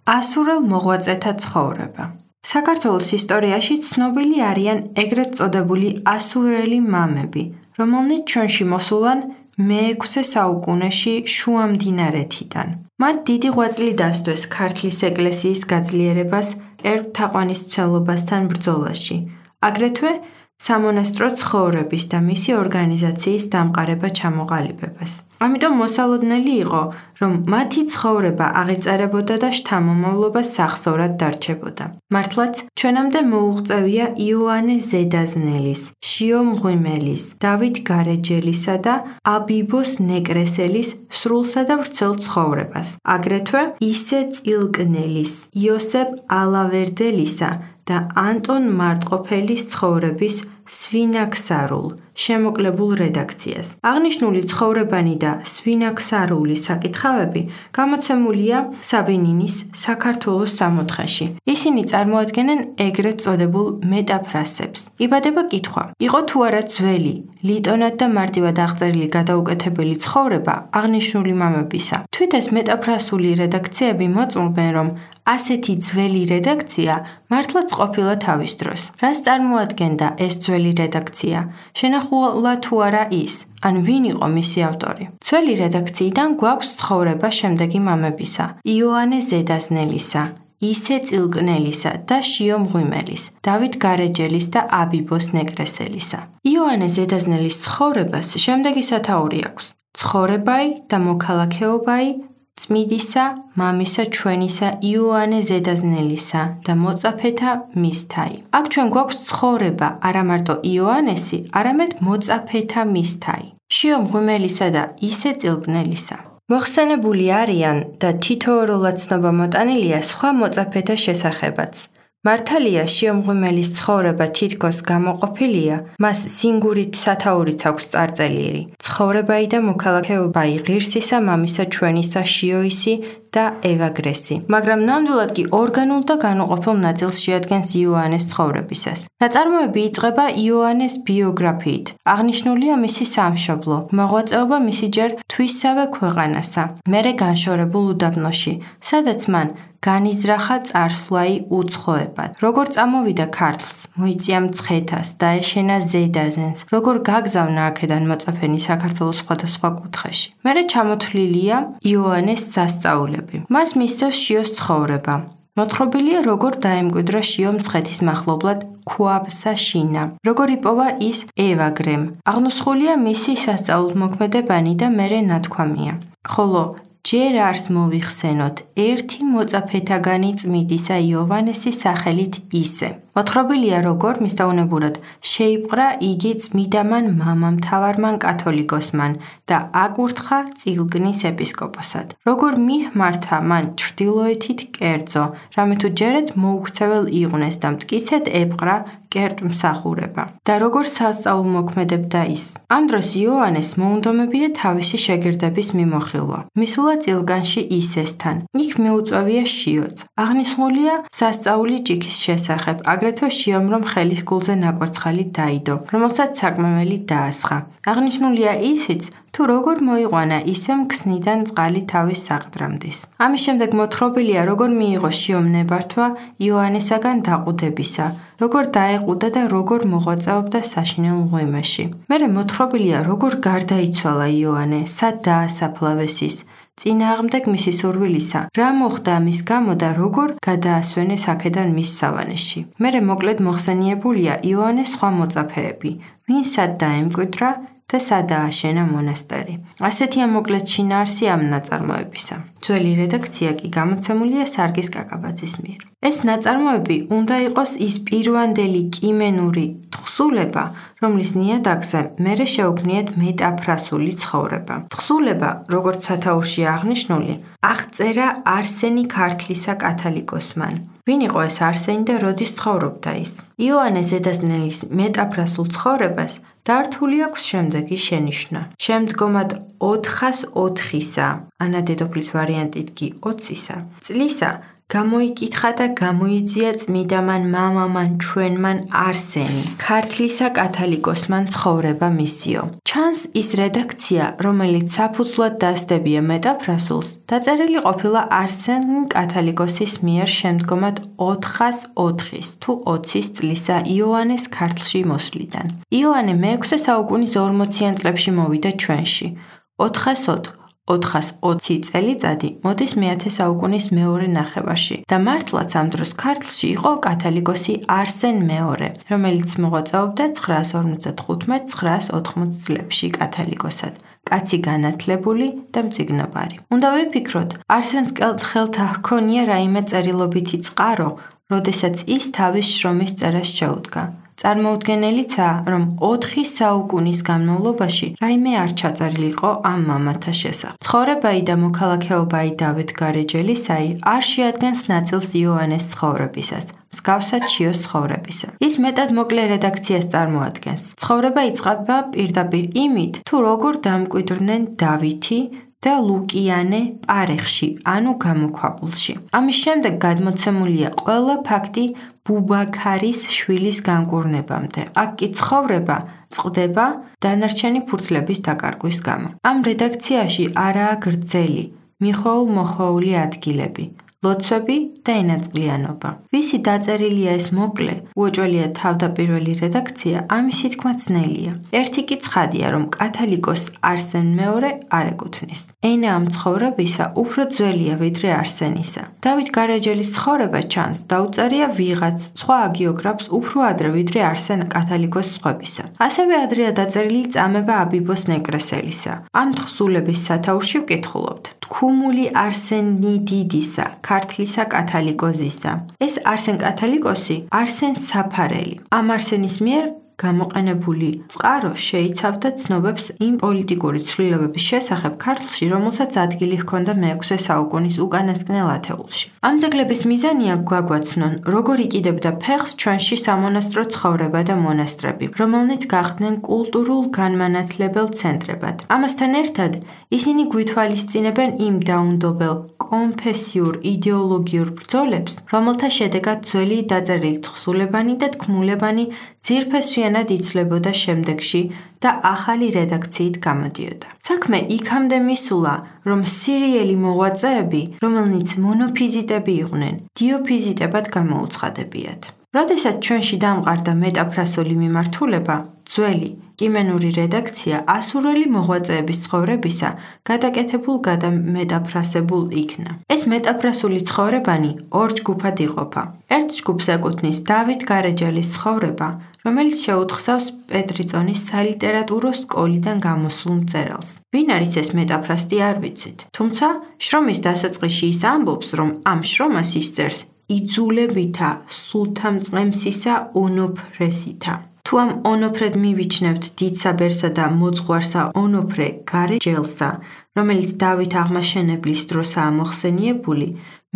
ასურელ მოღვაწეთა ცხოვრება. საქართველოს ისტორიაში ცნობილი არიან ეგრეთ წოდებული ასურელი მამები, რომელნიც ჩვენში მოსულან მე-6 საუკუნეში შუამდინარეთიდან. მათ დიდი ღვაწლი დასდოს ქართლის ეკლესიის გაძლიერებას ერბ-თაყვანისმცემლობასთან ბრძოლაში, აგრეთვე სამონასტრო ცხოვრების და მისი ორგანიზაციის დამყარება ჩამოყალიბებას. ამიტომ მოსალოდნელი იყო, რომ მათი ცხოვრება აღიწერებოდა და შთამომავლობა სახსოვრად დარჩებოდა. მართლაც, ჩვენამდე მოუღწევია იოანე ზედაზნელის, შიო მღვიმელის, დავით გარეჯელისა და აბიბოს ნეკრესელის სრულსა და ვრცელ ცხოვრებას. აგრეთვე ისე წილკნელის, იოსებ ალავერდელისა და ანტონ მარტყოფელის ცხოვრების სვინაქსარულ, შემოკლებულ რედაქციას. აღნიშნული ცხოვრებანი და სვინაქსარული საკითხავები გამოცემულია საბინინის საქართველოს სამოთხეში. ისინი წარმოადგენენ ეგრეთ წოდებულ მეტაფრასებს. იბადება კითხვა: იყო თუ არა ძველი, ლიტონად და მარტივად აღწერილი გადაუკეთებელი ცხოვრება აღნიშნული მამებისა? თვით ეს მეტაფრასული რედაქციები მოწმობენ, რომ ასეთი ძველი რედაქცია მართლაც ყოფილა თავის დროს. რას წარმოადგენდა ეს ძველი რედაქცია? შენახულა თუ არა ის, ან ვინ იყო მისი ავტორი? ძველი რედაქციიდან გვაქვს ცხოვრება შემდეგი მამებისა: იოანე ზედაზნელისა, ისე წილკნელისა და შიო მღვიმელის, დავით გარეჯელის და აბიბოს ნეკრესელისა. იოანე ზედაზნელის ცხოვრებას შემდეგი სათაური აქვს: ცხოვრებაი და მოქალაქეობაი წმიდისა, მამისა ჩვენისა იოანე ზედაზნელისა და მოწაფეთა მისთაი. აქ ჩვენ გვაქვს ცხოვრება არა მარტო იოანესი, არამედ მოწაფეთა მისთაი, შიო მღვიმელისა და ისე წილკნელისა. მოხსენებული არიან და თითოეულად ცნობა მოტანილია სხვა მოწაფეთა შესახებაც. მართალია შიო მღვიმელის ცხოვრება თითქოს გამოყოფილია, მას სინგურით სათაურიც აქვს წარწერილი: ცხოვრებაი და მოქალაქეობაი ღირსისა, მამისა ჩვენისა შიოისი და ევაგრესი. მაგრამ ნამდვილად კი ორგანულ და განუყოფელ ნაწილს შეადგენს იოანეს ცხოვრებისას. ნაწარმოები იწყება იოანეს ბიოგრაფიით. აღნიშნულია მისი სამშობლო, მოღვაწეობა მისი ჯერ თვისსავე ქვეყანასა, მერე განშორებულ უდაბნოში, სადაც მან განიზრახა წარსვლაი უცხოებად. როგორ წამოვიდა ქართლს, მოიწია მცხეთას, დაეშენა ზედაზენს, როგორ გაგზავნა აქედან მოწაფენი საქართველოს სხვადასხვა კუთხეში. მერე ჩამოთვლილია იოანეს სასწაულები. მას მისდევს შიოს ცხოვრება. მოთხრობილია, როგორ დაემკვიდრა შიო მცხეთის მახლობლად ქვაბსა შინა, როგორ იპოვა ის ევაგრემ. აღნუსხულია მისი სასწაულთმოქმედებანი და მერე ნათქვამია. ხოლო ჯერ არს მოვიხსენოთ ერთი მოწაფეთაგანი წმიდისა იოვანესის სახელით ისე. მოთხრობილია, როგორ მისდაუნებურად შეიპყრა იგი წმიდამან მამამთავარმან კათოლიკოსმან და აკურთხა წილკნის ეპისკოპოსად. როგორ მიჰმართა მან ჩრდილოეთით კერძო, რამე თუ ჯერეთ მოუქცეվել იყვნენ და მტკიცედ ეპყრა კერტმსახურება. და როგორ სასწაულმოქმედებდა ის. ამ დროს იოანეს მოუნდომებია თავისი შეგირდების მიმოხილვა. მისულა წილკანში ისესთან. იქ მიუწვევია შიოც. აღნიშნულია სასწაული ჭიქის შესახებ, აგრეთვე შიომ რომ ხელის გულზე ნაკვერცხალი დაიდო, რომელსაც საკმეველი დაასხა. აღნიშნულია ისიც, თუ როგორ მოიყვანა ისემ ქსნიდან წყალი თავის საყდრამდის. ამის შემდეგ მოთხრობილია, როგორ მიიღო შიომ ნებართვა იოანესაგან დაყუდებისა, როგორ დაეყუდა და როგორ მოღვაწეობდა საშინელ მღვიმეში. მერე მოთხრობილია, როგორ გარდაიცვალა იოანე, სად დაასაფლავეს ის, წინააღმდეგ მისი სურვილისა, რა მოხდა ამის გამო და როგორ გადაასვენეს აქედან მის სავანეში. მერე მოკლედ მოხსენიებულია იოანეს სხვა მოწაფეები, ვინ სად დაემკვიდრა და სად ააშენა მონასტერი. ასეთია მოკლედ შინაარსი ამ ნაწარმოებისა. ძველი რედაქცია კი გამოცემულია სარგის კაკაბაძის მიერ. ეს ნაწარმოები უნდა იყოს ის პირვანდელი კიმენური თხზულება, რომლის ნიადაგზე მერე შეუქმნიათ მეტაფრასული ცხოვრება. თხზულება, როგორც სათაურში აღნიშნული, აღწერა არსენი ქართლისა კათალიკოსმან. ვინ იყო ეს არსენი და როდის ცხოვრობდა ის? იოანე ზედაზნელის მეტაფრასულ ცხოვრებას დართული აქვს შემდეგი შენიშვნა. შემდგომად 404-ისა, ანა დედოფლის ვარიანტით კი 20-ისა, წლისა გამოიკითხა და გამოიძია წმიდამან მამამან ჩვენმან არსენი, ქართლისა კათალიკოსმან ცხოვრება მისიო. ჩანს ის რედაქცია, რომელიც საფუძვლად დასდებია მეტაფრასულს, დაწერილი ყოფილა არსენ კათალიკოსის მიერ შემდგომად 404 თუ 20 წლისა იოანეს ქართლში მოსვლიდან. იოანე მე-6 საუკუნის 40-იან წლებში მოვიდა ჩვენში. 420 წელიწადი მოდის მე-10 საუკუნის მეორე ნახევარში და მართლაც ამ დროს ქართლში იყო კათალიკოსი არსენ მეორე, რომელიც მოღვაწეობდა 955-980 წლებში კათალიკოსად. კაცი განათლებული და მწიგნობარი. უნდა ვიფიქროთ, არსენს ხელთა ჰქონია რაიმე წერილობითი წყარო, როდესაც ის თავის შრომის წერას შეუდგა. წარმოუდგენელიცაა, რომ 4 საუკუნის განმავლობაში რაიმე არ ჩაწერილიყო ამ მამათა შესახებ. ცხოვრებაი და მოქალაქეობაი დავით გარეჯელისაი არ შეადგენს ნაწილს იოანეს ცხოვრებისას, მსგავსად შიოს ცხოვრებისა. ის მეტად მოკლე რედაქციას წარმოადგენს. ცხოვრება იწყება პირდაპირ იმით, თუ როგორ დამკვიდრდნენ დავითი და ლუკიანე პარეხში, ანუ გამოქვაბულში. ამის შემდეგ გადმოცემულია ყველა ფაქტი ბუბაქარის შვილის განკურნებამდე. აქ კი ცხოვრება წყდება დანარჩენი ფურცლების დაკარგვის გამო. ამ რედაქციაში არაა გრძელი, მიხოულ-მოხოული ადგილები, ლოცვები და ენაწყლიანობა. ვისი დაწერილია ეს მოკლე, უეჭველია თავდაპირველი რედაქცია, ამისი თქმა ძნელია. ერთი კი ცხადია, რომ კათალიკოს არსენ მეორე არ ეკუთვნის. ენა ამ ცხოვრებისა უფრო ძველია ვიდრე არსენისა. დავით გარეჯელის ცხოვრება ჩანს დაუწერია ვიღაც სხვა აგიოგრაფს უფრო ადრე ვიდრე არსენ კათალიკოს სხვებისა. ასევე ადრეა დაწერილი წამება აბიბოს ნეკრესელისა. ამ თხზულების სათაურში ვკითხულობთ. თქუმული არსენი დიდისა, ქართლისა კათალიკოსისა. ეს არსენ კათალიკოსი, არსენ საფარელი. ამ არსენის მიერ გამოყენებული წყარო შეიცავდა ცნობებს იმ პოლიტიკური ცვლილებების შესახებ ქართლში, რომელსაც ადგილი ჰქონდა მე-6 საუკუნის უკანასკნელ ათეულში. ამ ძეგლების მიზანია გვაგვაცნონ, როგორ იკიდებდა ფეხს ჩვენში სამონასტრო ცხოვრება და მონასტრები, რომელნიც გახდნენ კულტურულ განმანათლებელ ცენტრებად. ამასთან ერთად, ისინი გვითვალისწინებენ იმ დაუნდობელ კონფესიურ იდეოლოგიურ ბრძოლებს, რომელთა შედეგად ძველი დაწერილი თხზულებანი და თქმულებანი ძირფესვიანად იცვლებოდა შემდეგში და ახალი რედაქციით გამოდიოდა. საქმე იქამდე მისულა, რომ სირიელი მოღვაწეები, რომელნიც მონოფიზიტები იყვნენ, დიოფიზიტებად გამოუცხადებიათ. როდესაც ჩვენში დამყარდა მეტაფრასული მიმართულება, ძველი კიმენური რედაქცია ასურელი მოღვაწეების ცხოვრებისა გადაკეთებულ გადამეტაფრასებულ იქნა. ეს მეტაფრასული ცხოვრებანი ორ ჯგუფად იყოფა. ერთ ჯგუფს ეკუთვნის დავით გარეჯელის ცხოვრება, რომელიც შეუთხსავს პეტრიწონის სალიტერატურო სკოლიდან გამოსულ მწერალს. ვინ არის ეს მეტაფრასტი არ ვიცით. თუმცა შრომის დასაწყისში ის ამბობს, რომ ამ შრომას ისწერს იძულებითა სულთამწყემსისა ონოფრესითა. თუ ამ ონოფრედ მივიჩნევთ დიდსაბერსა და მოძღვარსა ონოფრე გარეჯელსა, რომელიც დავით აღმაშენებლის დროსაა მოხსენიებული,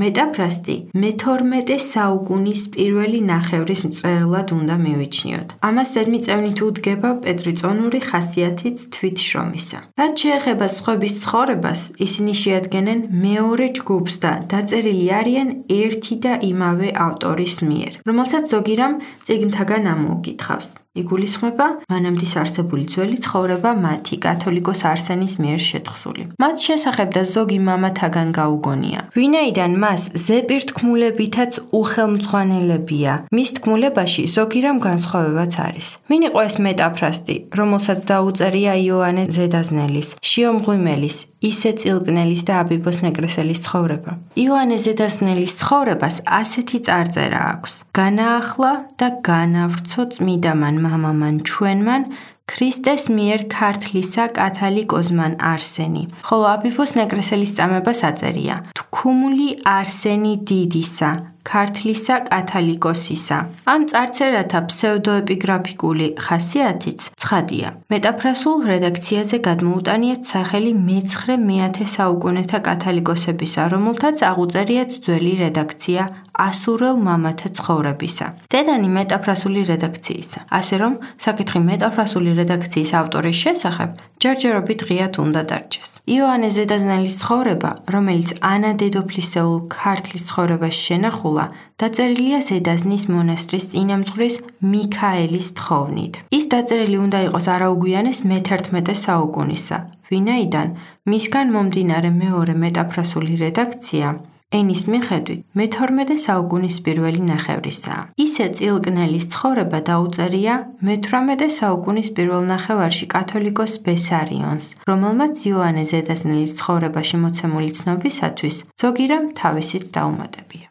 მეტაფრასტი მე-12 საუკუნის პირველი ნახევრის მწერლად უნდა მივიჩნიოთ. ამას ზედმიწევნით უდგება პეტრიწონური ხასიათით თვითშრომისა. რაც შეეხება სხვების ცხოვრებას, ისინი შეადგენენ მეორე ჯგუფს და დაწერილი არიან ერთი და იმავე ავტორის მიერ, რომელსაც ზოგი რამ წიგნთაგან ამოუკითხავს. იგულისხმება მანამდis არსებული ძველი ცხოვრება მათი კათოლიკოს არსენის მიერ შეთხზული. მათ შესახებ და ზოგი მამათაგან გაუგონია. ვინაიდან მას ზეპირ თქმულებითაც უხელმძღვანელებია, მის თქმულებაში ზოგი რამ განსხვავებაც არის. ვინ იყო ეს მეტაფრასტი, რომელსაც დაუწერია იოანე ზედაზნელის, შიო მღვიმელის, ისე წილკნელის და აბიბოს ნეკრესელის ცხოვრება? იოანე ზედაზნელის ცხოვრებას ასეთი წარწერა აქვს. განაახლა და განავრცო წმიდამან მამამან ჩვენმან ქრისტეს მიერ ქართლისა კათალიკოსმან არსენი, ხოლო აბიბოს ნეკრესელის წამებას აწერია თქუმული არსენი დიდისა, ქართლისა კათალიკოსისა. ამ წარწერათა ფსევდოეპიგრაფიკული ხასიათიც ცხადია, მეტაფრასულ რედაქციაზე გადმოუტანიათ სახელი მე-9-10 საუკუნეთა კათალიკოსებისა, რომელთაც აღუწერიათ ძველი რედაქცია ასურელ მამათა ცხოვრებისა. დედანი მეტაფრასული რედაქციისა. ასე რომ, საკითხი მეტაფრასული რედაქციის ავტორის შესახებ ჯერჯერობით ღიად უნდა დარჩეს. იოანე ზედაზნელის ცხოვრება, რომელიც ანა დედოფლისეულ ქართლის ცხოვრებაში შენახულა, დაწერილია ზედაზნის მონასტრის წინამძღვრის მიქაელის თხოვნით. ის დაწერილი უნდა იყოს არაუგვიანეს მე-11 საუკუნისა, ვინაიდან მისგან მომდინარე მეორე მეტაფრასული რედაქცია ენის მიხედვით მე-12 საუკუნის პირველი ნახევრისაა. ისე წილკნელის ცხოვრება დაუწერია მე-18 საუკუნის პირველ ნახევარში კათოლიკოს ბესარიონს, რომელმაც იოანე ზედაზნელის ცხოვრებაში მოცემული ცნობისათვის ზოგი რამ თავისით დაუმატებია.